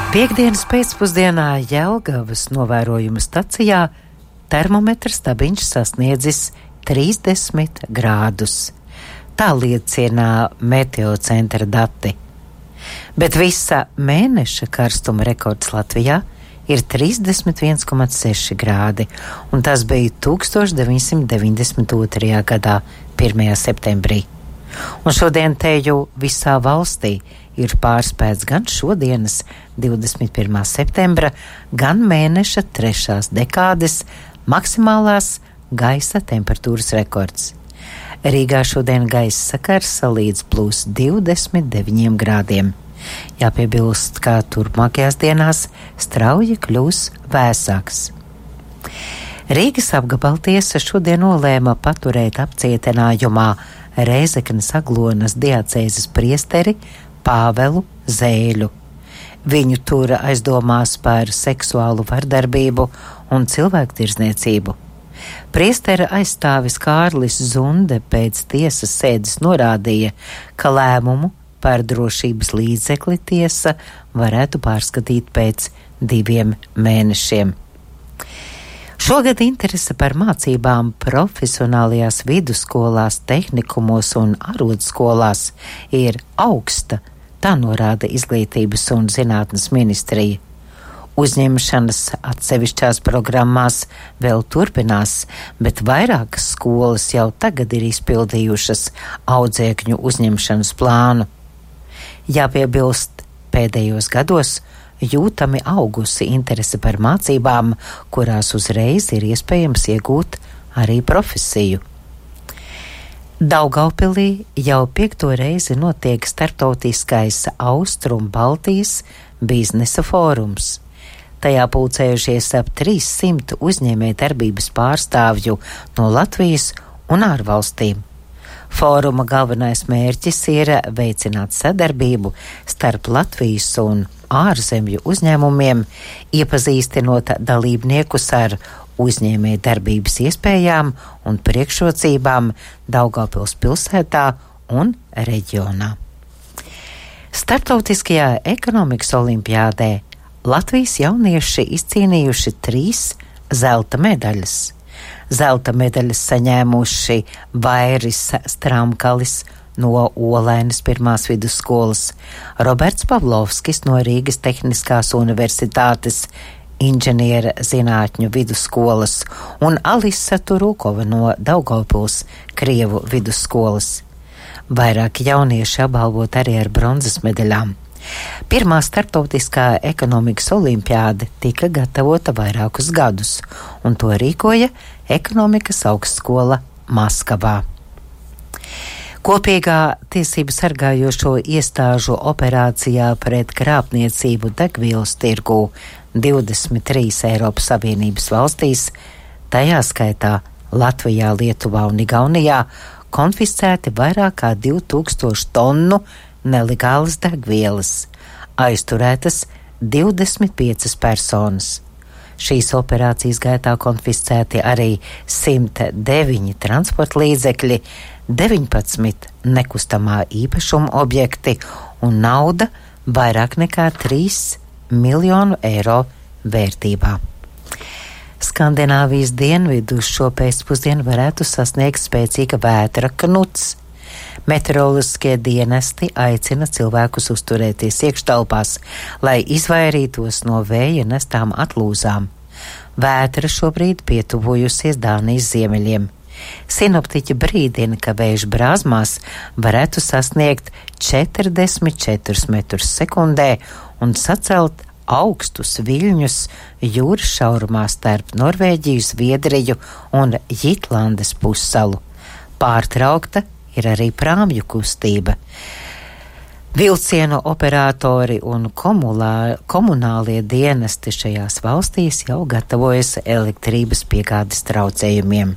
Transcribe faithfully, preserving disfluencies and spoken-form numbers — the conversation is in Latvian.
Piektdienas pēcpusdienā Jelgavas novērojuma stacijā termometra stabiņš sasniedzis trīsdesmit grādus. Tā liecina meteocentra dati. Bet visa mēneša karstuma rekords Latvijā ir trīsdesmit viens komats seši grādi, un tas bija tūkstoš deviņsimt deviņdesmit otrajā gadā, pirmajā septembrī. Un šodien teju visā valstī ir pārspēts gan šodienas divdesmit pirmā septembra, gan mēneša trešās dekādes maksimālās gaisa temperatūras rekords. Rīgā šodien gaisa sakarsa līdz plus divdesmit deviņiem grādiem. Jāpiebilst, ka turpmākajās dienās strauji kļūs vēsāks. Rīgas apgabaltiesa šodien nolēma paturēt apcietinājumā Rēzeknes Aglonas diacēzes priesteri Pāvelu Zēļu. Viņu tur aizdomās par seksuālu vardarbību un cilvēktirdzniecību. Priestera aizstāvis Kārlis Zunde pēc tiesas sēdes norādīja, ka lēmumu par drošības līdzekli tiesa varētu pārskatīt pēc diviem mēnešiem. Šogad interese par mācībām profesionālajās vidusskolās, tehnikumos un arodskolās ir augsta, tā norāda Izglītības un zinātnes ministrija. Uzņemšanas atsevišķās programmās vēl turpinās, bet vairākas skolas jau tagad ir izpildījušas audzēkņu uzņemšanas plānu. Jāpiebilst, pēdējos gados jūtami augusi interese par mācībām, kurās uzreiz ir iespējams iegūt arī profesiju. Daugavpilī jau piekto reizi notiek starptautiskais Austrum Baltijas biznesa fórums. Tajā pulcējušies ap trīssimt uzņēmējdarbības pārstāvju no Latvijas un ārvalstīm. Fóruma galvenais mērķis ir veicināt sadarbību starp Latvijas un ārzemju uzņēmumiem, iepazīstinot dalībniekus ar uzņēmējdarbības iespējām un priekšrocībām Daugavpils pilsētā un reģionā. Starptautiskajā ekonomikas olimpiādē Latvijas jaunieši izcīnījuši trīs zelta medaļas. Zelta medaļas saņēmuši Vairis Stramkalis no Olainas pirmās vidusskolas, Roberts Pavlovskis no Rīgas Tehniskās universitātes inženiera zinātņu vidusskolas un Alisa Turukova no Daugavpils Krievu vidusskolas. Vairāki jaunieši apbalvot arī ar bronzas medaļām. Pirmā starptautiskā ekonomikas olimpiāde tika gatavota vairākus gadus, un to rīkoja Ekonomikas augstskola Maskavā. Kopīgā tiesību sargājošo iestāžu operācijā pret krāpniecību degvielas tirgū divdesmit trīs Eiropas Savienības valstīs, tajā skaitā Latvijā, Lietuvā un Igaunijā, konfiscēti vairāk kā divi tūkstoši tonnu nelegālas degvielas, aizturētas divdesmit piecas personas. Šīs operācijas gaitā konfiscēti arī simt deviņi transporta līdzekļi, deviņpadsmit nekustamā īpašuma objekti un nauda vairāk nekā trīs miljonu eiro vērtībā. Skandināvijas dienvidus šo pēcpusdienu varētu sasniegt spēcīga vētra Knuts. Meteoroloģiskie dienesti aicina cilvēkus uzturēties iekštelpās, lai izvairītos no vēja nestām atlūzām. Vētra šobrīd pietuvojusies Dānijas ziemeļiem. Sinoptiķi brīdina, ka vējš brāzmās varētu sasniegt četrdesmit četrus metrus sekundē un sacelt augstus viļņus jūras šaurumā starp Norvēģiju, Zviedriju un Jitlandes pussalu. Pārtraukta ir arī prāmju kustība. Vilcienu operatori un komulā, komunālie dienesti šajās valstīs jau gatavojas elektrības piegādes traucējumiem.